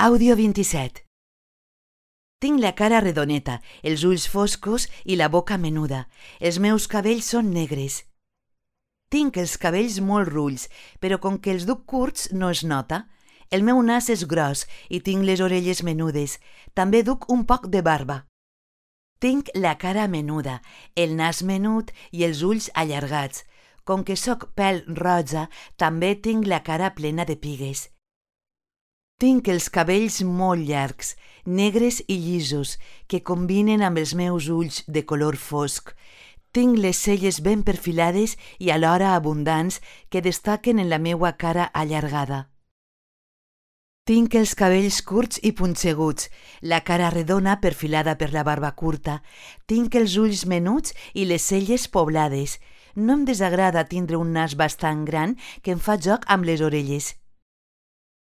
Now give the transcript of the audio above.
Àudio 27. Tinc la cara redoneta, els ulls foscos i la boca menuda. Els meus cabells són negres. Tinc els cabells molt rulls, però com que els duc curts no es nota. El meu nas és gros i tinc les orelles menudes. També duc un poc de barba. Tinc la cara menuda, el nas menut i els ulls allargats. Com que sóc pèl roja, també tinc la cara plena de pigues. Tinc els cabells molt llargs, negres i llisos, que combinen amb els meus ulls de color fosc. Tinc les celles ben perfilades i alhora abundants que destaquen en la meua cara allargada. Tinc els cabells curts i punxeguts, la cara redona perfilada per la barba curta. Tinc els ulls menuts i les celles poblades. No em desagrada tindre un nas bastant gran que em fa joc amb les orelles.